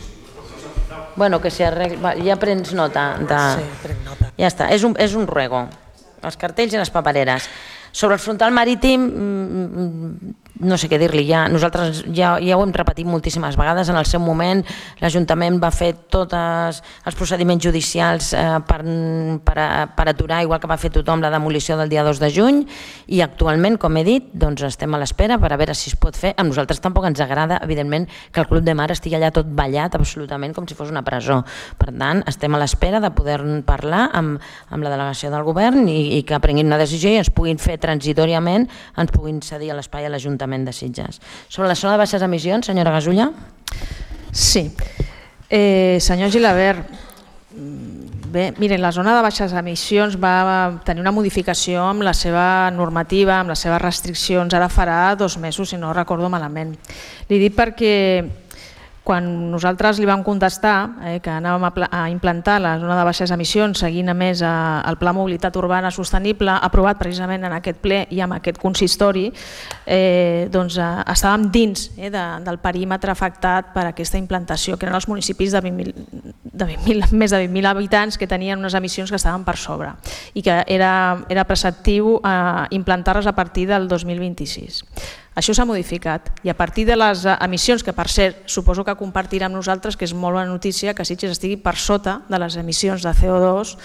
Bueno, que si arregla... Ja prens nota. De... Sí, prenc nota. Ja està, és un, és un ruego. Els cartells i les papereres. Sobre el frontal marítim, no sé què dir-li, ja, nosaltres ja, ja ho hem repetit moltíssimes vegades. En el seu moment l'Ajuntament va fer tots els procediments judicials eh, per, per, per aturar, igual que va fer tothom, la demolició del dia dos de juny, i actualment, com he dit, doncs estem a l'espera per a veure si es pot fer. A nosaltres tampoc ens agrada, evidentment, que el Club de Mar estigui allà tot ballat absolutament com si fos una presó. Per tant, estem a l'espera de poder parlar amb, amb la delegació del govern i, i que prenguin una decisió i ens puguin fer transitoriament, ens puguin cedir a l'espai a l'Ajuntament de Sitges. Sobre la zona de baixes emissions, senyora Gasulla? Sí. Eh, senyor Gilabert, bé, miren, la zona de baixes emissions va tenir una modificació amb la seva normativa, amb les seves restriccions, ara farà dos mesos, si no recordo malament. Li dic perquè quan nosaltres li vam contestar eh, que anàvem a, a implantar la zona de baixes emissions seguint a més eh, el Pla Mobilitat Urbana Sostenible aprovat precisament en aquest ple i amb aquest consistori, eh, doncs eh, estàvem dins eh, de, del perímetre afectat per aquesta implantació, que eren els municipis de, vint mil, de vint mil, més de vint mil habitants que tenien unes emissions que estaven per sobre i que era, era preceptiu eh, implantar-les a partir del dos mil vint-i-sis. Això s'ha modificat i a partir de les emissions, que per cert suposo que compartirà amb nosaltres, que és molt bona notícia que Sitges estigui per sota de les emissions de C O dos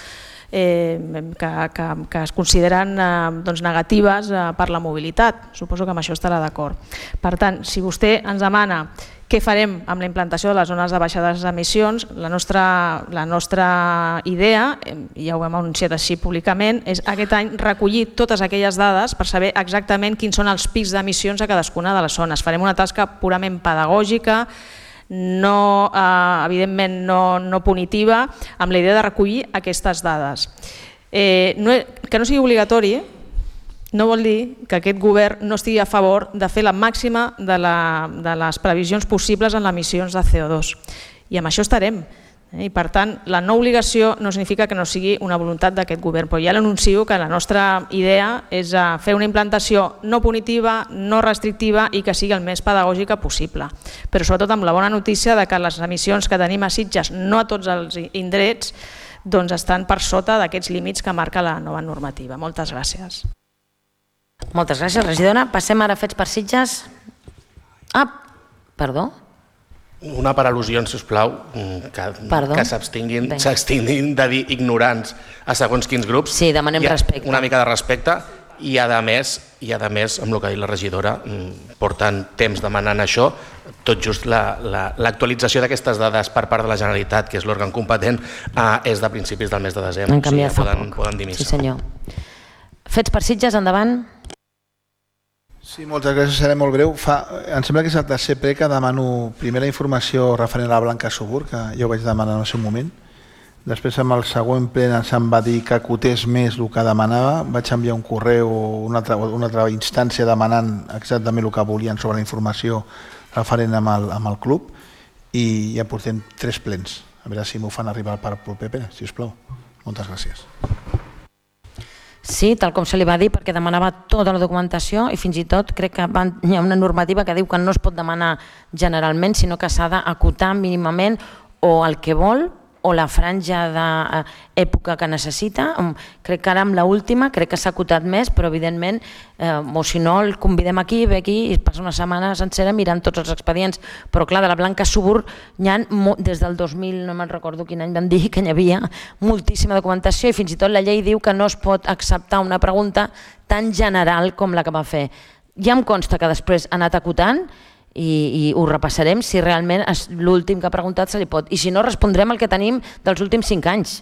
eh, que, que, que es consideren eh, doncs negatives eh, per la mobilitat. Suposo que amb això estarà d'acord. Per tant, si vostè ens demana què farem amb la implantació de les zones de baixades emissions, la nostra, la nostra idea, ja ho hem anunciat així públicament, és aquest any recollir totes aquelles dades per saber exactament quins són els pics d'emissions a cadascuna de les zones. Farem una tasca purament pedagògica, no, eh, evidentment no, no punitiva, amb la idea de recollir aquestes dades. Eh, no, que no sigui obligatori, eh? No vol dir que aquest govern no estigui a favor de fer la màxima de, la, de les previsions possibles en les emissions de C O dos. I amb això estarem. I per tant, la no obligació no significa que no sigui una voluntat d'aquest govern, però ja l'anuncio que la nostra idea és fer una implantació no punitiva, no restrictiva i que sigui el més pedagògica possible. Però sobretot amb la bona notícia de que les emissions que tenim a Sitges, no a tots els indrets, doncs estan per sota d'aquests límits que marca la nova normativa. Moltes gràcies. Moltes gràcies, regidora. Passem ara a fets per Sitges. Ah, perdó. Una per al·lusions, sisplau, que, que s'abstinguin de dir ignorants a segons quins grups. Sí, demanem respecte. Una mica de respecte i a més, i a més, amb el que ha dit la regidora, porten temps demanant això, tot just l'actualització d'aquestes dades per part de la Generalitat, que és l'òrgan competent, és de principis del mes de desembre. Han canviat fa poc. Poden dir missa. Sí, senyor. Fets per Sitges, endavant. Sí, moltes gràcies, seré molt breu. Em sembla que és el tercer ple que demano primera informació referent a la Blanca Subur, que ja ho vaig demanar en el seu moment. Després, amb el següent ple, se'm va dir que acotés més el que demanava. Vaig enviar un correu o una altra, una altra instància demanant exactament el que volien sobre la informació referent amb el, amb el club, i ja portem tres plens. A veure si m'ho fan arribar per proper ple, sisplau. Moltes gràcies. Sí, tal com se li va dir, perquè demanava tota la documentació i fins i tot crec que hi ha una normativa que diu que no es pot demanar generalment, sinó que s'ha d'acotar mínimament o el que vol o la franja d'època que necessita. Crec que ara amb l'última crec que s'ha acotat més, però evidentment, o si no, el convidem aquí, ve aquí i passa una setmana sencera mirant tots els expedients. Però clar, de la Blanca Subur hi ha, des del dos mil, no me'n recordo quin any vam dir, que hi havia moltíssima documentació i fins i tot la llei diu que no es pot acceptar una pregunta tan general com la que va fer. Ja em consta que després ha anat acotant i, i ho repassarem si realment l'últim que ha preguntat se li pot. I si no, respondrem el que tenim dels últims cinc anys.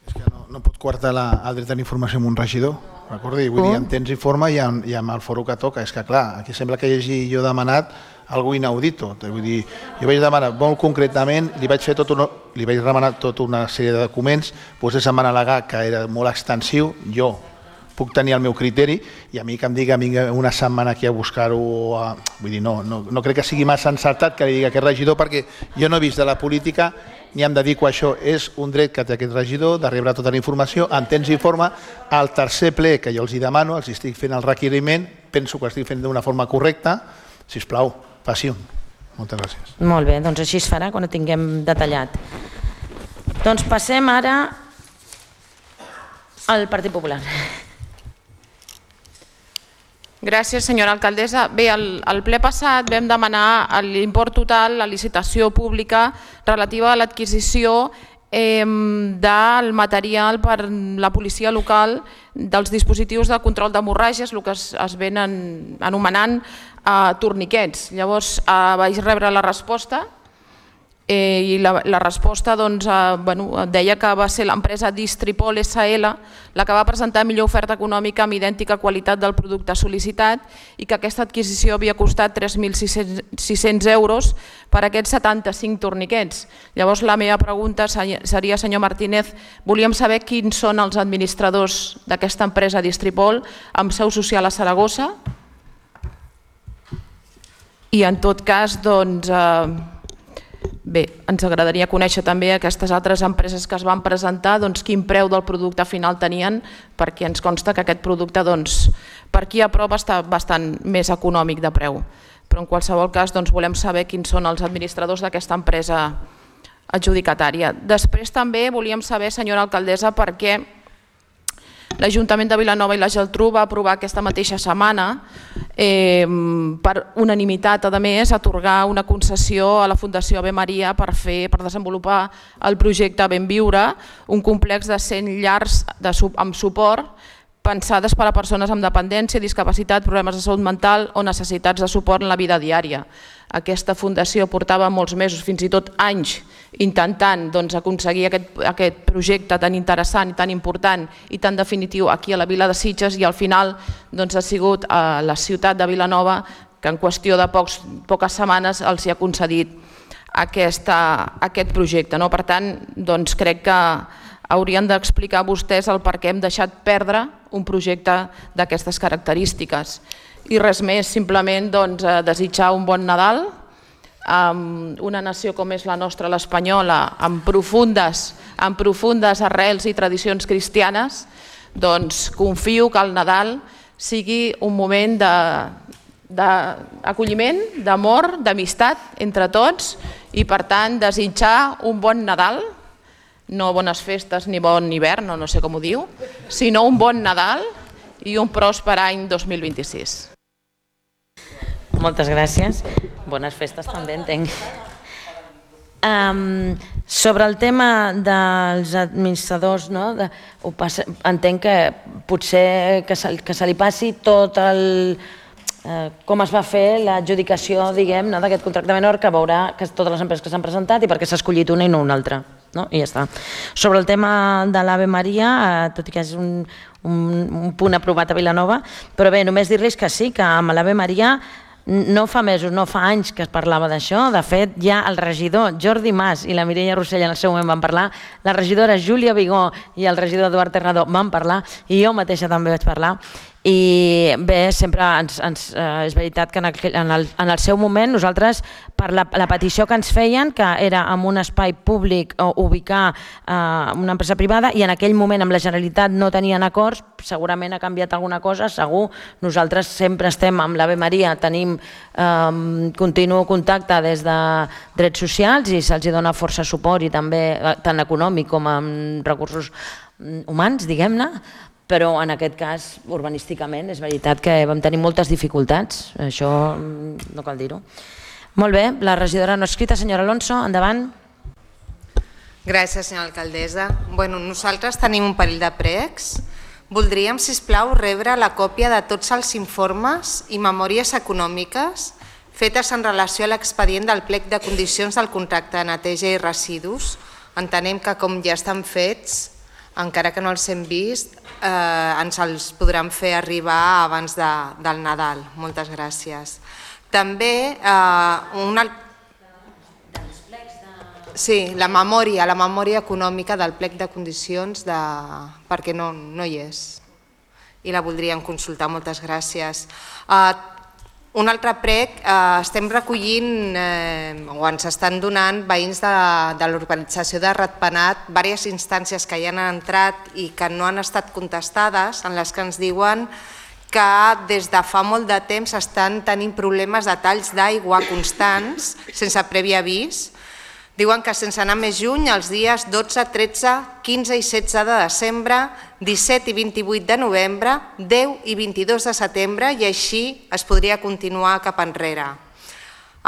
És que no, no pot coartar la, el dret a la informació amb un regidor, recordi? Vull dir, en temps i forma i amb, i amb el foro que toca. És que clar, aquí sembla que hi hagi jo demanat algo inaudito. Vull dir, jo vaig demanar molt concretament, li vaig fer tot una, li vaig demanar tota una sèrie de documents, vostès em van al·legar que era molt extensiu, jo puc tenir el meu criteri, i a mi que em digui una setmana aquí a buscar-ho, vull dir, no, no, no crec que sigui massa encertat que li digui aquest regidor, perquè jo no he vist de la política ni em dedico a això. És un dret que té aquest regidor de rebre tota la informació en temps i forma. Al tercer ple que jo els hi demano, els estic fent el requeriment, penso que ho estic fent d'una forma correcta, sisplau, faci un. Moltes gràcies. Molt bé, doncs així es farà quan ho tinguem detallat. Doncs passem ara al Partit Popular. Gràcies, senyora alcaldessa. Bé, al ple passat vam demanar l'import total, la licitació pública relativa a l'adquisició del material per la policia local dels dispositius de control d'hemorràgies, el que es venen anomenant torniquets. Llavors vaig rebre la resposta i la resposta deia que va ser l'empresa Distripol S L la que va presentar millor oferta econòmica amb idèntica qualitat del producte sol·licitat i que aquesta adquisició havia costat tres mil sis-cents euros per aquests setanta-cinc torniquets. Llavors la meva pregunta seria, senyor Martínez, volíem saber quins són els administradors d'aquesta empresa Distripol amb seu social a Saragossa i en tot cas, doncs, bé, ens agradaria conèixer també aquestes altres empreses que es van presentar, quin preu del producte final tenien, perquè ens consta que aquest producte per aquí a prop està bastant més econòmic de preu. Però en qualsevol cas volem saber quins són els administradors d'aquesta empresa adjudicatària. Després també volíem saber, senyora alcaldessa, per què l'Ajuntament de Vilanova i la Geltrú va aprovar aquesta mateixa setmana, per unanimitat, a més, atorgar una concessió a la Fundació Ave Maria per desenvolupar el projecte Benviure, un complex de cent llars amb suport pensades per a persones amb dependència, discapacitat, problemes de salut mental o necessitats de suport en la vida diària. Aquesta fundació portava molts mesos, fins i tot anys, intentant aconseguir aquest projecte tan interessant i tan important i tan definitiu aquí a la vila de Sitges i al final ha sigut a la ciutat de Vilanova que en qüestió de poques setmanes els ha concedit aquest projecte. Per tant, crec que haurien d'explicar vostès el per què hem deixat perdre un projecte d'aquestes característiques. I res més, simplement desitjar un bon Nadal a una nació com és la nostra, l'espanyola, amb profundes arrels i tradicions cristianes. Doncs confio que el Nadal sigui un moment d'acolliment, d'amor, d'amistat entre tots i per tant desitjar un bon Nadal, no bones festes ni bon hivern, no sé com ho diu, sinó un bon Nadal i un pròsper any dos mil vint-i-sis. Moltes gràcies. Bones festes també, entenc. Sobre el tema dels administradors, entenc que potser que se li passi tot el... com es va fer l'adjudicació d'aquest contracte menor que veurà totes les empreses que s'han presentat i per què s'ha escollit una i no una altra. no? I ja està. Sobre el tema de l'Ave Maria, eh, tot i que és un, un, un punt aprovat a Vilanova, però bé, només dir-los que sí, que amb l'Ave Maria no fa mesos, no fa anys que es parlava d'això. De fet, ja el regidor Jordi Mas i la Mireia Rossell en el seu moment van parlar, la regidora Júlia Vigó i el regidor Eduard Ternador van parlar, i jo mateixa també vaig parlar. I bé, sempre ens, ens, eh, és veritat que en el, en, el, en el seu moment nosaltres, per la, la petició que ens feien, que era en un espai públic o ubicar eh, una empresa privada, i en aquell moment amb la Generalitat no tenien acords, segurament ha canviat alguna cosa, segur. Nosaltres sempre estem amb l'Ave Maria, tenim eh, continu contacte des de drets socials i se'ls dona força suport, i també tant econòmic com amb recursos humans, diguem-ne, però en aquest cas, urbanísticament, és veritat que vam tenir moltes dificultats, això no cal dir-ho. Molt bé, la regidora no escrita, senyora Alonso, endavant. Gràcies, senyora alcaldessa. Bueno, nosaltres tenim un parell de pregs. Voldríem, sisplau, rebre la còpia de tots els informes i memòries econòmiques fetes en relació a l'expedient del plec de condicions del contracte de neteja i residus. Entenem que com ja estan fets, encara que no els hem vist, eh, ens els podran fer arribar abans de, del Nadal. Moltes gràcies. També eh, una... Sí, la memòria, la memòria econòmica del plec de condicions, de... perquè no, no hi és. I la voldríem consultar. Moltes gràcies. Eh, Un altre prec, eh, estem recollint, eh, o ens estan donant veïns de, de l'urbanització de Ratpenat, diverses instàncies que hi han entrat i que no han estat contestades, en les que ens diuen que des de fa molt de temps estan tenint problemes de talls d'aigua constants, sense previ avís. Diuen que sense anar més lluny, els dies dotze, tretze, quinze i setze de desembre, disset i vint-i-vuit de novembre, deu i vint-i-dos de setembre, i així es podria continuar cap enrere.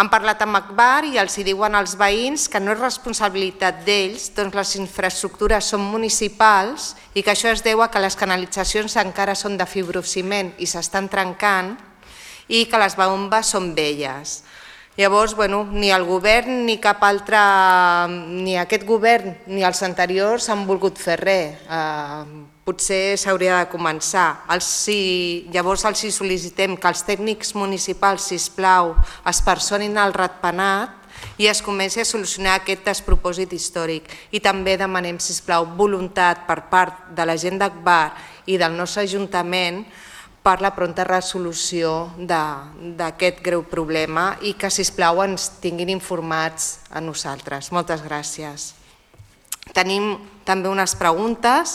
Han parlat amb Agbar i els hi diuen als veïns que no és responsabilitat d'ells, doncs les infraestructures són municipals i que això es deu a que les canalitzacions encara són de fibrociment i s'estan trencant i que les bombes són velles. Llavors, bueno, ni el govern ni cap altre, ni aquest govern ni els anteriors han volgut fer res. Eh, potser s'hauria de començar. Els, si, llavors els hi sol·licitem que els tècnics municipals, sisplau, es personin al Ratpenat i es comenci a solucionar aquest despropòsit històric. I també demanem, sisplau, voluntat per part de la gent d'Agbar i del nostre Ajuntament per la pronta resolució d'aquest greu problema i que, sisplau, ens tinguin informats a nosaltres. Moltes gràcies. Tenim també unes preguntes.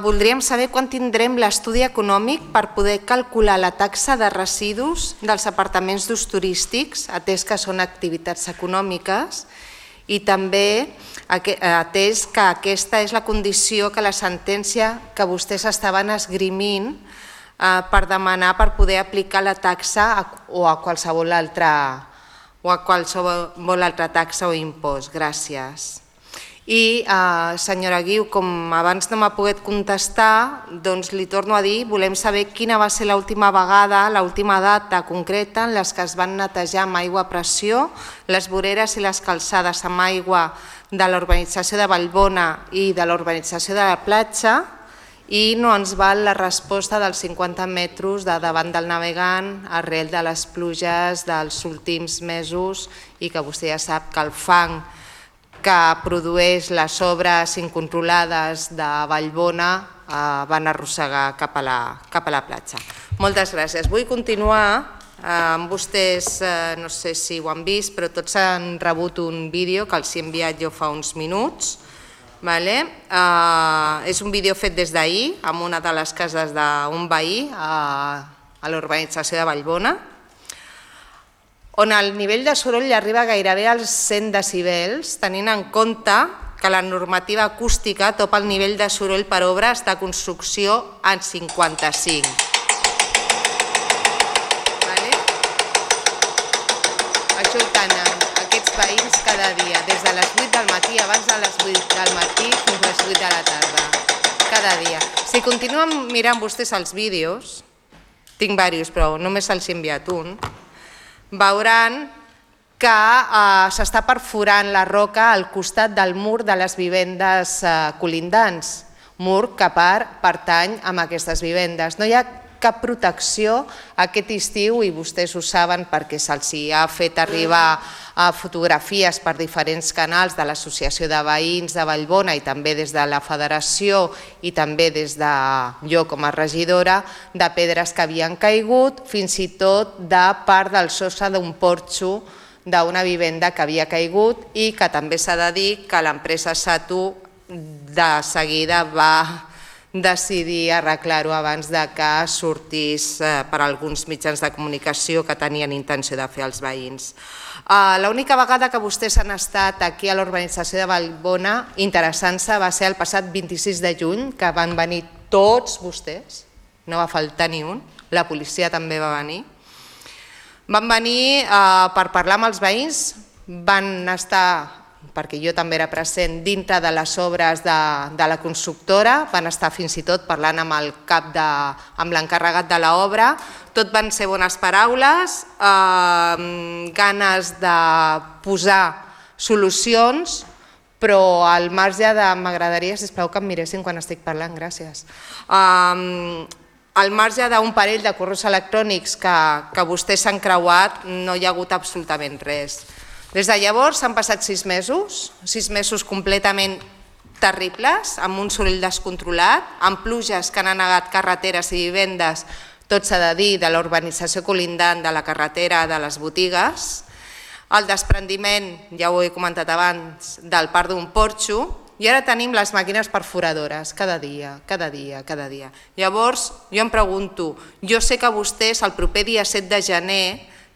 Voldríem saber quan tindrem l'estudi econòmic per poder calcular la taxa de residus dels apartaments d'ús turístics, atès que són activitats econòmiques, i també atès que aquesta és la condició que la sentència que vostès estaven esgrimint per demanar per poder aplicar la taxa o a qualsevol altra, o a qualsevol altra taxa o impost. Gràcies. I, eh, senyora Guiu, com abans no m'ha pogut contestar, doncs li torno a dir, volem saber quina va ser l'última vegada, l'última data concreta en les que es van netejar amb aigua a pressió les voreres i les calçades amb aigua de l'urbanització de Vallbona i de l'urbanització de la platja, i no ens val la resposta dels cinquanta metres de davant del navegant arrel de les pluges dels últims mesos i que vostè ja sap que el fang que produeix les obres incontrolades de Vallbona eh, van arrossegar cap a, la, cap a la platja. Moltes gràcies. Vull continuar amb vostès, eh, no sé si ho han vist, però tots han rebut un vídeo que els he enviat jo fa uns minuts. Vale. Uh, és un vídeo fet des d'ahir amb una de les cases d'un veí uh, a l'urbanització de Vallbona, on el nivell de soroll arriba gairebé als cent decibels, tenint en compte que la normativa acústica topa el nivell de soroll per obres de construcció en cinquanta-cinc. Vale? Això ho tenen aquests veïns cada dia, des de les vuit del matí, abans de les vuit del matí fins a les vuit de la tarda, cada dia. Si continuen mirant vostès els vídeos, tinc diversos però només els he enviat un, veuran que s'està perforant la roca al costat del mur de les vivendes colindants, mur que pertany a aquestes vivendes. No hi ha cap protecció aquest estiu i vostès ho saben perquè se'ls ha fet arribar fotografies per diferents canals de l'Associació de Veïns de Vallbona i també des de la Federació i també des de jo com a regidora de pedres que havien caigut, fins i tot de part del sostre d'un porxo d'una vivenda que havia caigut i que també s'ha de dir que l'empresa Satu de seguida va decidir arreglar-ho abans que sortís per alguns mitjans de comunicació que tenien intenció de fer els veïns. L'única vegada que vostès han estat aquí a l'urbanització de Vallbona interessant-se va ser el passat vint-i-sis de juny, que van venir tots vostès, no va faltar ni un, la policia també va venir. Van venir per parlar amb els veïns, van estar, perquè jo també era present, dintre de les obres de la constructora, van estar fins i tot parlant amb el cap de, amb l'encarregat de l'obra, tot van ser bones paraules, ganes de posar solucions, però al marge de, m'agradaria, sisplau, que em miressin quan estic parlant, gràcies. Al marge d'un parell de correus electrònics que vostès s'han creuat, no hi ha hagut absolutament res. Des de llavors s'han passat sis mesos, sis mesos completament terribles, amb un soroll descontrolat, amb pluges que han anegat carreteres i vivendes, tot s'ha de dir, de la urbanització colindant, de la carretera, de les botigues, el desprendiment, ja ho he comentat abans, del parc d'un porxo, i ara tenim les màquines perforadores, cada dia, cada dia, cada dia. Llavors, jo em pregunto, jo sé que vostès el proper dia set de gener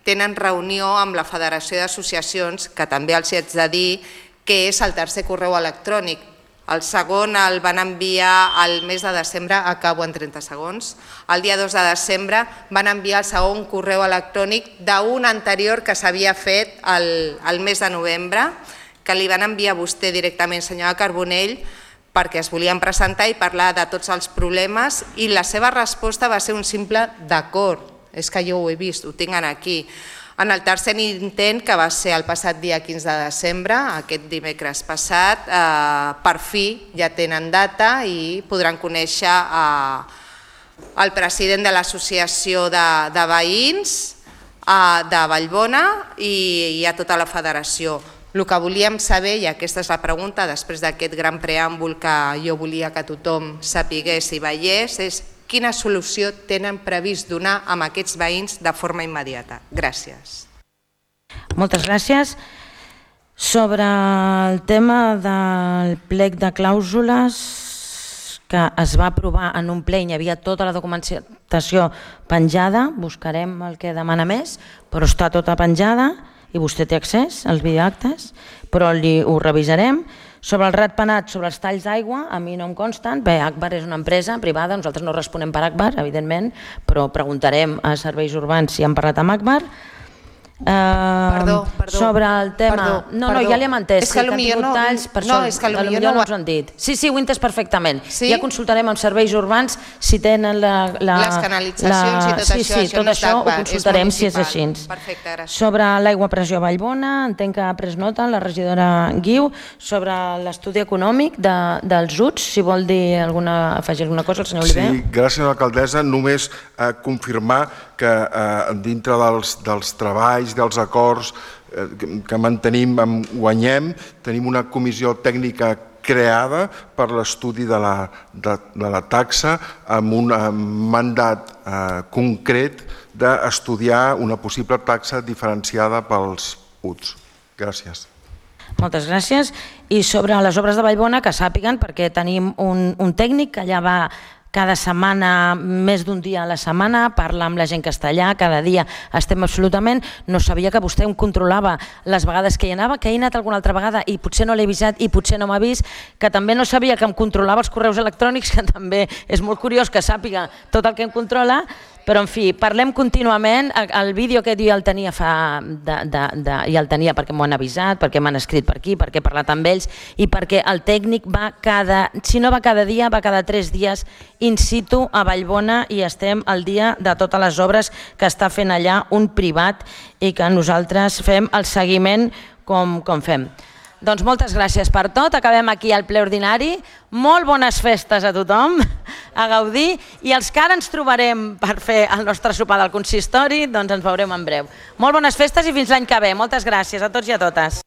tenen reunió amb la Federació d'Associacions, que també els haig de dir que és el tercer correu electrònic. El segon el van enviar al mes de desembre, acabo en trenta segons, el dia dos de desembre van enviar el segon correu electrònic d'un anterior que s'havia fet el mes de novembre, que li van enviar a vostè directament, senyora Carbonell, perquè es volien presentar i parlar de tots els problemes i la seva resposta va ser un simple d'acord. És que jo ho he vist, ho tinc aquí. En el tercer intent, que va ser el passat dia quinze de desembre, aquest dimecres passat, per fi ja tenen data i podran conèixer el president de l'Associació de Veïns de Vallbona i a tota la federació. El que volíem saber, i aquesta és la pregunta, després d'aquest gran preàmbul que jo volia que tothom sapigués i veiés, és quina solució tenen previst donar a aquests veïns de forma immediata. Gràcies. Moltes gràcies. Sobre el tema del plec de clàusules que es va aprovar en un ple i hi havia tota la documentació penjada, buscarem el que demana més, però està tota penjada i vostè té accés als videoactes, però ho revisarem. Sobre el ratpenat, sobre els talls d'aigua, a mi no em consten. Bé, Agbar és una empresa privada, nosaltres no responem per Agbar, evidentment, però preguntarem a serveis urbans si han parlat amb Agbar. Perdó, perdó. Sobre el tema... No, no, ja li hem entès. És que potser no... No, és que potser no ens ho han dit. Sí, sí, ho he entès perfectament. Ja consultarem amb serveis urbans si tenen la... Les canalitzacions i tot això. Sí, sí, tot això ho consultarem si és així. Perfecte, gràcies. Sobre l'aigua a pressió a Vallbona, entenc que ha pres nota la regidora Guiu, sobre l'estudi econòmic dels U T S, si vol dir alguna, afegir alguna cosa el senyor Oliver. Sí, gràcies alcaldessa. Només confirmar que dintre dels treballs, dels acords que mantenim amb Guanyem, tenim una comissió tècnica creada per l'estudi de la taxa amb un mandat concret d'estudiar una possible taxa diferenciada pels U T S. Gràcies. Moltes gràcies. I sobre les obres de Vallbona, que sàpiguen, perquè tenim un tècnic que allà va cada setmana, més d'un dia a la setmana, parla amb la gent que està allà, cada dia estem absolutament, no sabia que vostè em controlava les vegades que hi anava, que he anat alguna altra vegada i potser no l'he avisat i potser no m'ha vist, que també no sabia que em controlava els correus electrònics, que també és molt curiós que sàpiga tot el que em controla, però en fi, parlem contínuament, el vídeo aquest jo ja el tenia fa, de, de, de, ja el tenia perquè m'ho han avisat, perquè m'han escrit per aquí, perquè he parlat amb ells i perquè el tècnic va cada, si no va cada dia, va cada tres dies in situ a Vallbona i estem al dia de totes les obres que està fent allà un privat i que nosaltres fem el seguiment com, com fem. Doncs moltes gràcies per tot, acabem aquí el ple ordinari, molt bones festes a tothom, a gaudir, i els que ara ens trobarem per fer el nostre sopar del consistori, doncs ens veurem en breu. Molt bones festes i fins l'any que ve, moltes gràcies a tots i a totes.